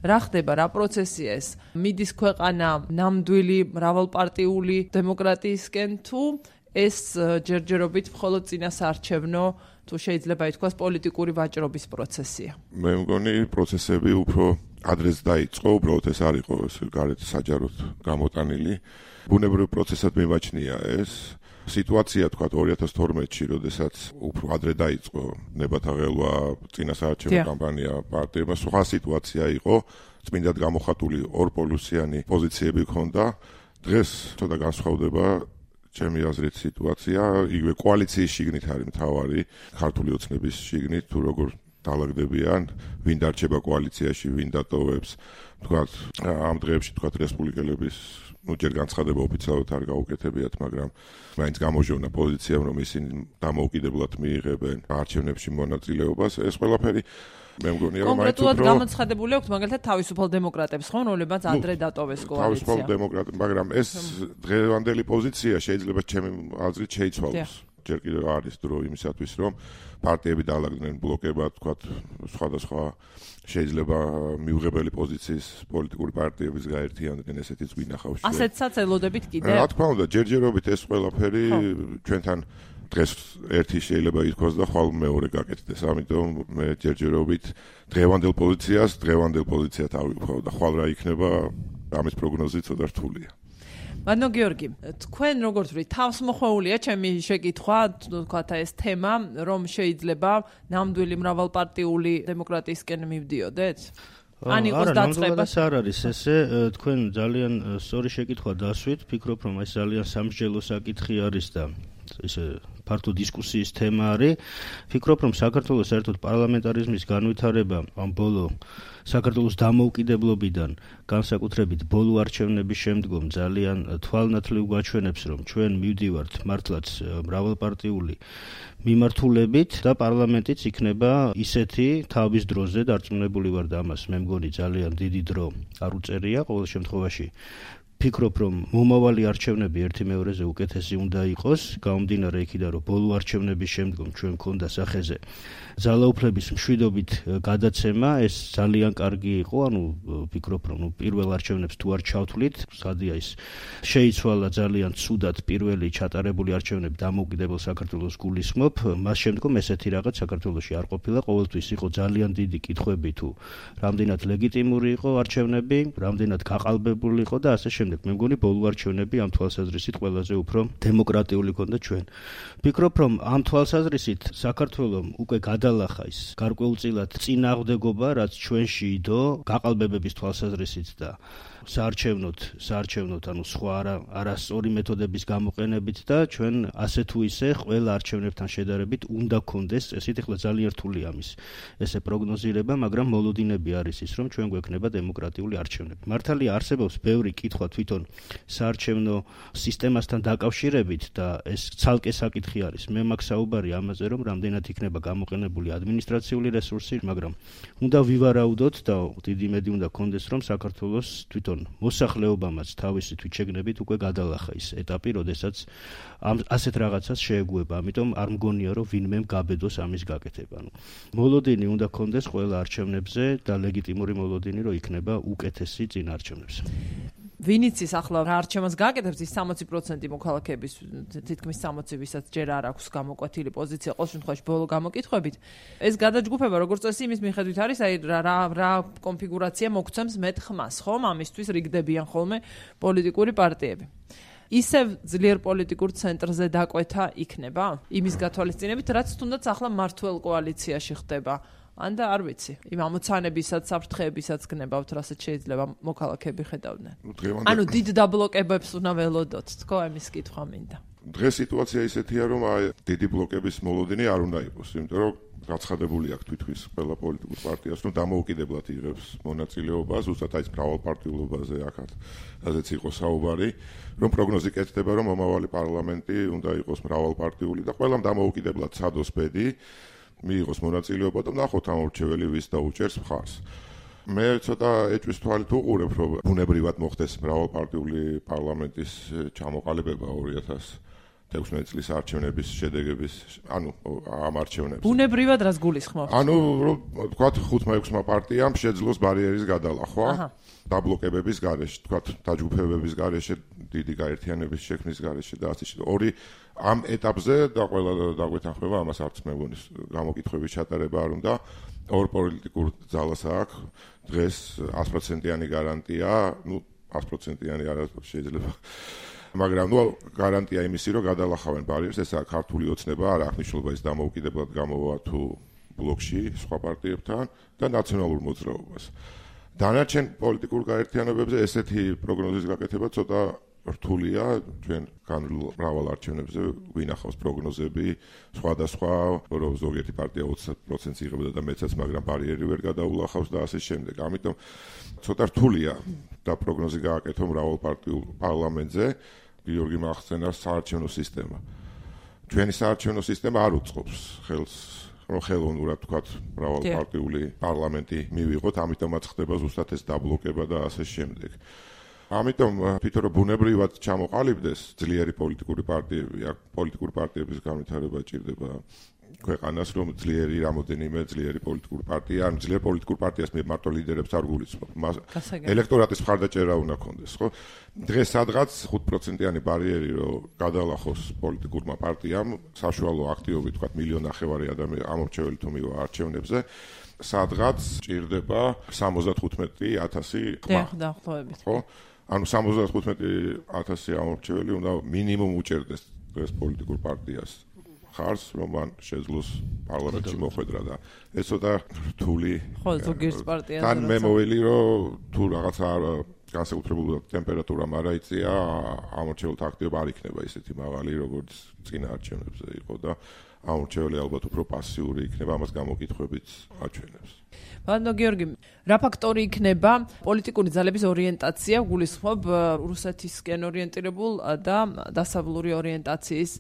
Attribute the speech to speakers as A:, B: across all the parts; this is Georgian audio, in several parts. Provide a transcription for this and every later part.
A: რა ხდება, რა პროცესია ეს? მიდის ქვეყანა ნამდვილი მრავალპარტიული დემოკრატიისკენ თუ ეს ჯერჯერობით მხოლოდ წინასაარჩევნო თუ შეიძლება ითქვას პოლიტიკური ვაჭრობის პროცესია?
B: მე მგონი პროცესები უფრო ადრეც დაიწყო, უბრალოდ ეს არ იყო გარეთ საჯაროდ გამოტანილი. ბუნებრივ პროცესად მიმაჩნია ეს სიტუაცია, თქვა 2012-ში, როდესაც უფრო ადრე დაიწყო ნებათა ღელვა წინასაარჩევნო კამპანია პარტიებმა, სხვა სიტუაცია იყო, წმინდად გამოხატული ორპოლუსიანი პოზიციები ჰქონდა. დღეს ცოტა განსხვავდება ჩემი აზრით სიტუაცია, იგივე კოალიციის შიგნით არის მთავარი, ქართული ოცნების შიგნით, თუ როგორ დაალაგდებიან, ვინ დარჩება კოალიციაში, ვინ დატოვებს, თქვათ ამ დღეებში თქვათ რესპუბლიკელების ჯერ განცხადება ოფიციალურად არ გაუკეთებიათ, მაგრამ მაინც გამოჟოვნა პოზიციამ, რომ ისინი დამოუკიდებლად მიიღებენ არჩევნებში მონაწილეობას. ეს ყველაფერი მე მგონია, რომ მაინც
A: კონკრეტულად გამოცხადებული აქვს მაგალითად თავისუფალ დემოკრატებს, ხო, რომლებიც ადრე დატოვეს კოალიცია.
B: თავისუფალ დემოკრატები, მაგრამ ეს დღევანდელი პოზიცია შეიძლება ჩემი აზრით შეიცვალოს. ჯერ კიდევ არის დრო იმისათვის, რომ პარტიები დაალაგდნენ ბლოკებად, თქვათ, სხვადასხვა შეიძლება მიუღებელი პოზიციის პოლიტიკური პარტიების გაერთიანდნენ, ესეთი გვინახავს.
A: ასეთსაც ელოდებით კიდევ?
B: რა თქმა უნდა, ჯერჯერობით ეს ყველაფერი ჩვენთან დღეს ერთი შეიძლება ითქვას და ხვალ მეორე გაკეთდეს. ამიტომ მე ჯერჯერობით დღევანდელ პოზიციად ავიღო და ხვალ რა იქნება, ამის პროგნოზი ცოტა რთულია.
A: მადლობა გიორგი, თქვენ როგორც ვთქვით, თავს მოხვეულია ჩემი შეკითხვა, თქვათ ეს თემა, რომ შეიძლება ნამდვილი მრავალპარტიული დემოკრატიისკენ მივდიოდეთ? ან იყოს დაწყება?
C: არ არის ესე, თქვენ ძალიან სწორი შეკითხვა დასვით, ფიქრობ, რომ ეს ძალიან სამსჯელო საკითხი არის და ესე ფართო დისკუსიის თემა არის. ფიქრობ, რომ საქართველოს საერთოდ პარლამენტარიზმის განვითარება ამ ბოლო საქართველოს დამოუკიდებლობიდან განსაკუთრებით ბოლო არჩევნების შემდგომ ძალიან თვალნათლივ გვაჩვენებს, რომ ჩვენ მივდივართ მართლაც მრავალპარტიული მიმართულებით და პარლამენტიც იქნება ისეთი თავის დროზე დარწმუნებული ვარ და ამას მე მგონი ძალიან დიდი დრო არ უწერია ყოველ შემთხვევაში. ფიქრობ, რომ მომავალი არჩევნები ერთი მეორეზე უკეთესი უნდა იყოს, გამომდინარე იქიდან, რომ ბოლო არჩევნების შემდგომ ჩვენ მქონდა სახეზე ძალაუფლების მშვიდობით გადაცემა, ეს ძალიან კარგი იყო, ანუ ფიქრობ, რომ პირველ არჩევნებს თუ არ ჩავთვლით, სადია ის შეიცვალა ძალიან ცუდად პირველი ჩატარებული არჩევნები დამოუკიდებელ საქართველოს გულისხმობ, მას შემდგომ ესეთი რაღაც საქართველოში არ ყოფილა, ყოველთვის იყო ძალიან დიდი კითხვები თუ რამდენად ლეგიტიმური იყო არჩევნები, რამდენად გაყალბებული იყო და ასე შემდეგ. მე მგონი ბოლო არჩევნები ამ თვალსაზრისით ყველაზე უფრო დემოკრატიული ქონდა ჩვენ. ფიქრობ, რომ ამ თვალსაზრისით საქართველოს უკვე გადალახა ის გარკვეულწილად წინააღმდეგობა, რაც ჩვენში იდო გაყალბებების თვალსაზრისით და საარჩევნოთ, ანუ სხვა არასწორი მეთოდების გამოყენებით და ჩვენ ასე თუ ისე ყველა არჩევნებთან შედარებით უნდა გქონდეს, ესეთ ახლა ძალიან რთულია ამის ესე პროგნოზირება, მაგრამ მოლოდინები არის ის, რომ ჩვენ გვექნება დემოკრატიული არჩევნები. მართალია არსებობს ბევრი კითხვა თვითონ საარჩევნო სისტემასთან დაკავშირებით და ეს ცალკე საკითხი არის. მე მაქვს საუბარი ამაზე, რომ რამდენად იქნება გამოყენებული ადმინისტრაციული რესურსი, მაგრამ უნდა ვივარაუდოთ და დიდი იმედი უნდა გქონდეს, რომ საქართველოს თვითონ მოსახლეობამაც თავისი თვითშეგნებით უკვე გადალახა ის ეტაპი, როდესაც ასეთ რაღაცას შეეგუება. ამიტომ არ მგონია, რომ ვინმე გაბედოს ამის გაკეთება. მოლოდინი უნდა გქონდეს ყველა არჩევნებზე და ლეგიტიმური მოლოდინი, რომ იქნება უკეთესი წინ არჩევნებს.
A: ვინიც ის ახლა რა არჩევანს გააკეთებს, ის 60% მოქალაქეების, თითქმის 60, ვისაც ჯერ არ აქვს გამოკვეთილი პოზიცია, ყოველ შემთხვევაში ბოლო გამოკითხვებით. ეს გადაჯგუფება, როგორც წესი, იმის მიხედვით არის, აი რა კონფიგურაცია მოგცემს მეტ ხმას, ხომ? ამისთვის რიგდებიან ხოლმე პოლიტიკური პარტიები. ისევ ძლიერ პოლიტიკურ ცენტრზე დაკვეთა იქნება? იმის გათვალისწინებით, რაც თუნდაც ახლა მართლ კოალიციაში ხდება. ან და არ ვიცი, იმ ამოცანებისაც, საფრთხეებისაც გნებავთ, რასაც შეიძლება მოქალაქეები ხედავდნენ. ანუ დიდ დაბლოკებებს უნდა ველოდოთ, თქო, ამის კითხვა მინდა.
B: დღეს სიტუაცია ისეთია, რომ დიდი ბლოკების მოლოდინი არ უნდა იყოს, იმიტომ რომ გაცხადებული აქვს თვითონ ყველა პოლიტიკურ პარტიას, რომ დამოუკიდებლად იღებს მონაწილეობას, უბრალოდ აი მრავალპარტიულობაზე აქაც, რაზეც იყო საუბარი, რომ პროგნოზი კეთდება, რომ მომავალი პარლამენტი უნდა იყოს მრავალპარტიული და ყველამ დამოუკიდებლად ცადოს ბედი, მიიღოს მონაწილეობა და ნახოთ ამ ორჩეველი ვის დაუჭერს მხარს. მე ცოტა ეჭვის თვალით უყურებ, რომ ბუნებრივად მოხდეს მრავალპარტიული პარლამენტის ჩამოყალიბება 16 წლის არჩევნების შედეგების, ამ არჩევნებს.
A: ბუნებრივად რას გულისხმობთ?
B: ვთქვათ 5-6 პარტიამ შეძლოს ბარიერის გადალახვა. დაბლოკებების გარეშე, თქვათ, დაჯგუფებების გარეშე, დიდი გაერთიანების შექმნის გარეშე და ასე შემდეგ. ორი ამ ეტაპზე და ყველა დაგვეთანხმება ამას არც მე მგონი გამოკითხვების ჩატარება არ უნდა. ორ პოლიტიკურ ძალას აქვს დღეს 100%-იანი გარანტია, 100%-იანი არ შეიძლება. მაგრამ გარანტია იმისი, რომ გადალახავენ ბარიერს, ესაა ქართული ოცნება, არ აქვს მნიშვნელობა ის დამოუკიდებლად გამოვა თუ ბლოკში სხვა პარტიებთან და ნაციონალურ მოძრაობას. დანარჩენ პოლიტიკურ გაერთიანებებზე ესეთი პროგნოზის გაკეთება ცოტა რთულია, ჩვენ მრავალ არჩევნებზე გვინახავს პროგნოზები, სხვადასხვა, რომ ზოგიერთი პარტია 20%-ს იღებდა და მეცაც, მაგრამ ბარიერი ვერ გადაულახავს და ასე შემდეგ. ამიტომ ცოტა რთულია და პროგნოზი გააკეთო მრავალ პარტიულ პარლამენტზე. გიორგი მახსენა საარჩევნო სისტემა. ჩვენი საარჩევნო სისტემა არ უწყობს ხელს ხელოვნურად თქვათ მრავალპარტიული პარლამენტი მივიღოთ, ამიტომაც ხდება ზუსტად ეს დაბლოკება და ასე შემდეგ. ამიტომ თვითონ რომ ბუნებრივად ჩამოყალიბდეს ძლიერი პოლიტიკური პარტიები, აქ პოლიტიკური პარტიების განვითარება ჭირდება ქვეყანას, რომ ძლიერი რამოდენიმე ძლიერი პოლიტიკური პარტია, ან ძლიერ პოლიტიკურ პარტიას მარტო ლიდერებს არ გულისხმობ. ელექტორატის მხარდაჭერა უნდა ქონდეს, ხო? დღეს სადღაც 5%-იანი ბარიერი რომ გადალახოს პოლიტიკურმა პარტიამ, საშუალო აქტივობით, თქვათ 1.5 მილიონი ადამიანი ამორჩეველი თუ მივა არჩევნებზე, სადღაც ჭირდება 75,000
A: დაახლოებით.
B: ხო? ანუ 75,000 ამორჩეველი უნდა მინიმუმ უჭერდეს დღეს პოლიტიკურ პარტიას. ხარს რომ მან შეძლოს პარლამენტში მოხვედრა და ეს ცოტა რთული
A: ხო ზოგიერთ პარტიაზე
B: თან მე მოველი რომ თუ რაღაცა განსაკუთრებული ტემპერატურა მარაიწია ამორჩეველთა აქტივობა არ იქნება ისეთი მაღალი როგორც წინა არჩევნებზე იყო და ამორჩეველი ალბათ უფრო პასიური იქნება ამას გამოკითხვებით აჩვენებს.
A: ბატონო გიორგი, რა ფაქტორი იქნება პოლიტიკური ძალების ორიენტაცია გულისხმობ რუსეთისკენ ორიენტირებულ და დასავლური ორიენტაციის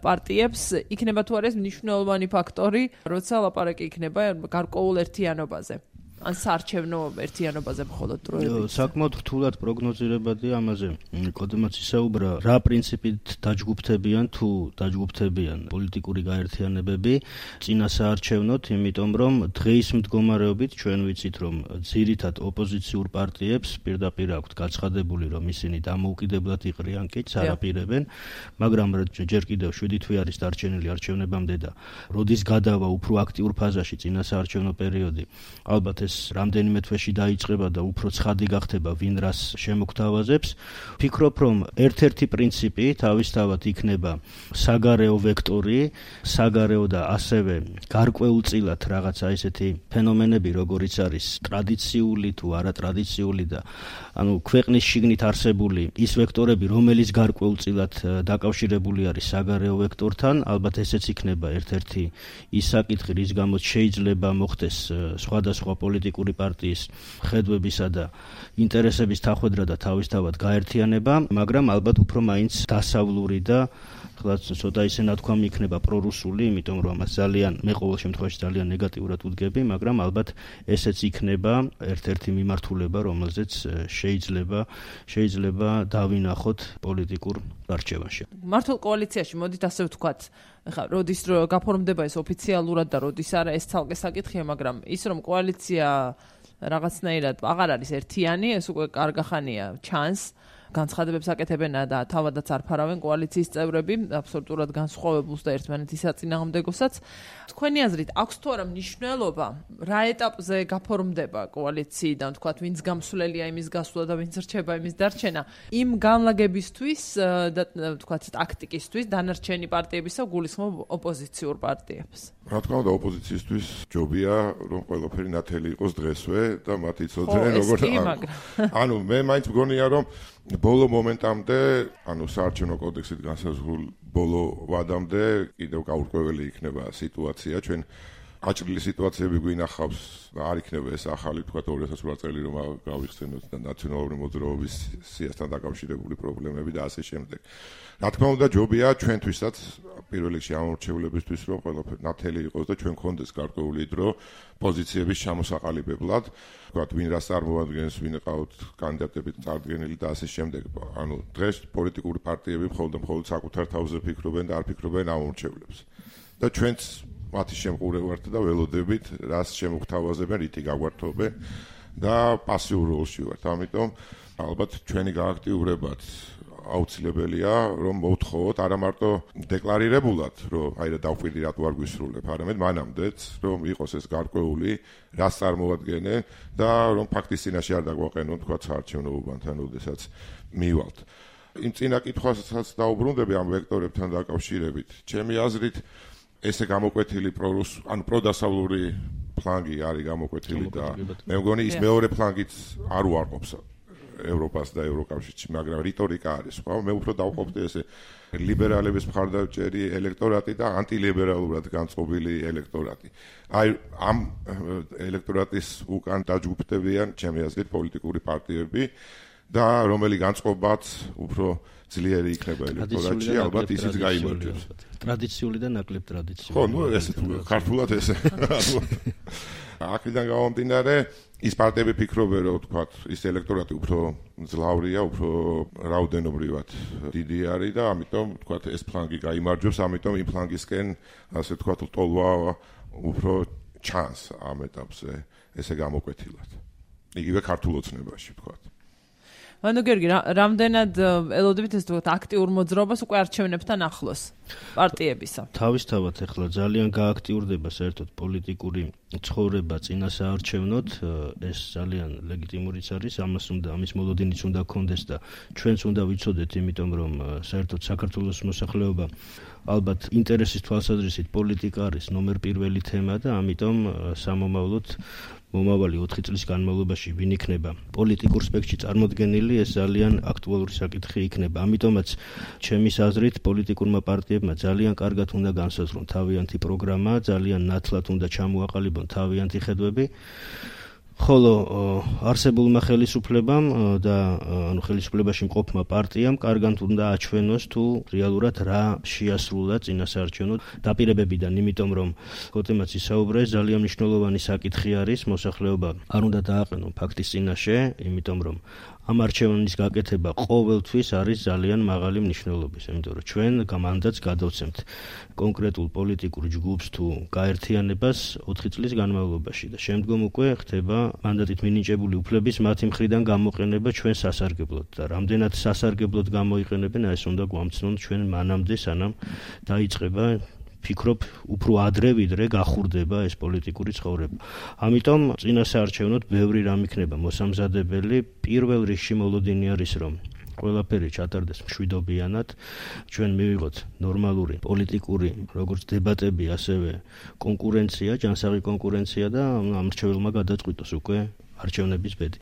A: პარტიებს იქნება თუ არა ეს მნიშვნელოვანი ფაქტორი, როცა ლაპარაკი იქნება გარკვეულ ერთიანობაზე? ან საარჩევნო ერთიანობაზე მხოლოდ დროებით.
C: საკმაოდ რთულად პროგნოზირებადია ამაზე. კოდემაც ისაუბრა, რა პრინციპით დაჯგუფდებიან თუ დაჯგუფდებიან პოლიტიკური გაერთიანებები წინა საარჩევნოთ, იმიტომ რომ დღეის მდგომარეობით ჩვენ ვიცით, რომ ძირითად ოპოზიციურ პარტიებს პირდაპირ აქვთ გაცხადებული, რომ ისინი დამოუკიდებლად იყრიან კი არაპირებენ, მაგრამ ჯერ კიდევ 7 თვე არის დარჩენილი არჩევნებამდე და როდის გადავა უფრო აქტიურ ფაზაში წინა საარჩევნო პერიოდი, ალბათ ეს რამდენიმე თვეში დაიწყება და უფრო ცხადი გახდება ვინ რას შემოგთავაზებს. ფიქრობ, რომ ერთ-ერთი პრინციპი თავისთავად იქნება საგარეო ვექტორი, საგარეო და ასევე გარკვეულწილად რაღაცა ესეთი ფენომენები, როგორიც არის ტრადიციული თუ არატრადიციული და ანუ ქვეყნის შიგნით არსებული ის ვექტორები, რომელიც გარკვეულწილად დაკავშირებული არის საგარეო ვექტორთან, ალბათ ესეც იქნება ერთ-ერთი ის საკითხი, რის გამოც შეიძლება მოხდეს სხვადასხვა პოლიტიკური პარტიის ხედვებისა და ინტერესების დახვედრა და თავისთავად გაერთიანება, მაგრამ ალბათ უფრო მაინც დასავლური და ხლაც ცოტა ისე ნათქვამი იქნება პრორუსული, იმიტომ რომ ამას ძალიან მე ყოველ შემთხვევაში ძალიან ნეგატიურად ვუდგები, მაგრამ ალბათ ესეც იქნება ერთ-ერთი მიმართულება, რომელზეც შეიძლება დავინახოთ პოლიტიკურ არჩევანში.
A: მართულ კოალიციაში მოდით ასე ვთქვათ, ხა როდის გაფორმდება ეს ოფიციალურად და როდის არა, ეს ცალკე საკითხია, მაგრამ ის რომ კოალიცია რაღაცნაირად აღარ არის ერთიანი, ეს უკვე კარგახანია ჩანს. განცხადებებს აკეთებენ და თავადაც არ ფარავენ კოალიციის წევრები, აბსოლუტურად განსხვავებულს და ერთმანეთის საწინააღმდეგოსაც. თქვენი აზრით, აქვს თუ არა მნიშვნელობა, რა ეტაპზე გაფორმდება კოალიციიდან, თქვათ, ვინც გამსვლელია იმის გასვლა და ვინც რჩება იმის დარჩენა, იმ განლაგებისთვის და თქვათ, ტაქტიკისთვის დანარჩენი პარტიებისა გულისხმობ ოპოზიციურ პარტიებს.
B: რა თქმა უნდა, ოპოზიციისთვის ჯობია, რომ ყველაფერი ნათელი იყოს დღესვე და მათ იცოდნენ როგორ ანუ მე მაინც მგონია, რომ ბოლო მომენტამდე, ანუ საარჩევნო კოდექსით განსაზღვრულ ბოლო ვადამდე კიდევ გაურკვეველი იქნება სიტუაცია. ჩვენ აჭრილი სიტუაციები გვინახავს და არ იქნება ეს ახალი თქვა 2008 წელი რომ გავიხსენოთ და ნაციონალური მოძრაობის სიასთან დაკავშირებული პრობლემები და ასე შემდეგ. Რა თქმა უნდა ჯობია ჩვენთვისაც პირველ რიგში ამორჩევლებისთვის რომ ყველაფერი ნათელი იყოს და ჩვენ გქონდეს გარკვეული დრო პოზიციების ჩამოსაყალიბებლად, თქვა ვინ რას წარმოადგენს, ვინ ყავთ კანდიდატები წარდგენილი და ასე შემდეგ. ანუ დღეს პოლიტიკური პარტიები მხოლოდ საკუთარ თავზე ფიქრობენ და არ ფიქრობენ ამორჩევლებს. და ჩვენც მათი შემყურე ვართ და ველოდებით რას შემოგთავაზებენ, რითი გაგვართობენ და პასიურ როლში ვართ. ამიტომ ალბათ ჩვენი გააქტიურებაც აუცილებელია რომ მოვთხოვოთ არა მარტო დეკლარირებულად რომ აი რა დავყვირდი რატო არ გვისრულებ, არამედ მანამდეც რომ იყოს ეს გარკვეული რას წარმოადგენენ და რომ ფაქტის წინაშე არ დაგვაყენონ თქვა საარჩევნო უბანთან, როდესაც მივალთ. იმ წინა კითხვასაც დაუბრუნდები ამ ვექტორებთან დაკავშირებით. ჩემი აზრით ესე გამოკვეთილი პროდასავლური ფლანგი არის გამოკვეთილი და მე მგონი ის მეორე ფლანგიც არ უარყოფს ევროპას და ევროკავშირში, მაგრამ რიტორიკა არის სხვა. მე უფრო დავყოფდი ესე ლიბერალების მხარდამჭერი ელექტორატი და ანტილიბერალურად განწყობილი ელექტორატი. აი ამ ელექტორატის უკან დაჯგუფდებიან ჩემი აზრით პოლიტიკური პარტიები და რომელი განწყობაც უფრო ძლიერი იქნება ელექტორატში, ალბათ ისიც გაიმარჯვებს.
C: ტრადიციული და ნაკლებ ტრადიციული.
B: ხო, ნუ ესე ქართულად ესე. აქედან გამომდინარე, ის პარტიები ფიქრობენ, რომ თქვა, ის ელექტორატი უფრო ძლავრია, უფრო რაოდენობრივად დიდი არის და ამიტომ თქვა, ეს ფლანგი გაიმარჯვებს, ამიტომ იმ ფლანგისკენ, ასე თქვა, ტოლვა უფრო ჩანს ამ ეტაპზე ესე გამოკვეთილად. იგივე ქართულ ოცნებაში თქვა.
A: ანუ გიორგი, რამდენად ელოდებით ეს თქვა აქტიურ მოძრაობას უკვე არჩევნებთან ახლოს პარტიებისა?
C: თავისთავად ახლა ძალიან გააქტიურდება საერთოდ პოლიტიკური ცხოვრება წინასაარჩევნოდ, ეს ძალიან ლეგიტიმურიც არის, ამის მოლოდინიც უნდა გქონდეს და ჩვენც უნდა ვიცოდეთ, იმიტომ რომ საერთოდ საქართველოს მოსახლეობა ალბათ ინტერესის თვალსაზრისით პოლიტიკა არის ნომერ პირველი თემა და ამიტომ სამომავლოდ მომავალი 4 წლის განმავლობაში ვინ იქნება პოლიტიკურ სპექტრში წარმოდგენილი, ეს ძალიან აქტუალური საკითხი იქნება. ამიტომაც ჩემის აზრით პოლიტიკურმა პარტიებმა ძალიან კარგად უნდა განსაზღვრონ თავიანთი პროგრამა, ძალიან ნათლად უნდა ჩამოაყალიბონ თავიანთი ხედვები. ხოლო არსებულმა ხელისუფლებამ და ანუ ხელისუფლებაში მყოფმა პარტიამ კარგად უნდა აჩვენოს თუ რეალურად რა შეასრულა წინასაარჩევნო დაპირებებიდან, იმიტომ რომ ხოტემაც ისაუბრა, ძალიან მნიშვნელოვანი საკითხი არის, მოსახლეობა არ უნდა დააყენონ ფაქტის წინაშე, იმიტომ რომ ამ არჩევნის გაკეთება ყოველთვის არის ძალიან მაღალი მნიშვნელობის, იმიტომ რომ ჩვენ მანდატს გადავცემთ კონკრეტულ პოლიტიკურ ჯგუფს თუ გაერთიანებას 4 წლის განმავლობაში და შემდგომ უკვე ხდება მანდატით მინიჭებული უფლების მათი მხრიდან გამოყენება ჩვენ სასარგებლოდ და რამდენად სასარგებლოდ გამოიყენებენ, ეს უნდა გვამცნონ ჩვენ მანამდე, სანამ დაიწყება ფიქრობ უფრო ადრე ვიდრე გახურდება ეს პოლიტიკური ცხოვრება. ამიტომ წინასაარჩევნოდ ბევრი რამ იქნება მოსამზადებელი. პირველ რიგში მოლოდინი არის რომ ყველაფერი ჩატარდეს მშვიდობიანად, ჩვენ მივიღოთ ნორმალური პოლიტიკური როგორც დებატები, ასევე კონკურენცია, ჯანსაღი კონკურენცია და ამ რჩეველმა გადაწყვიტოს უკვე არჩევნების ბედი.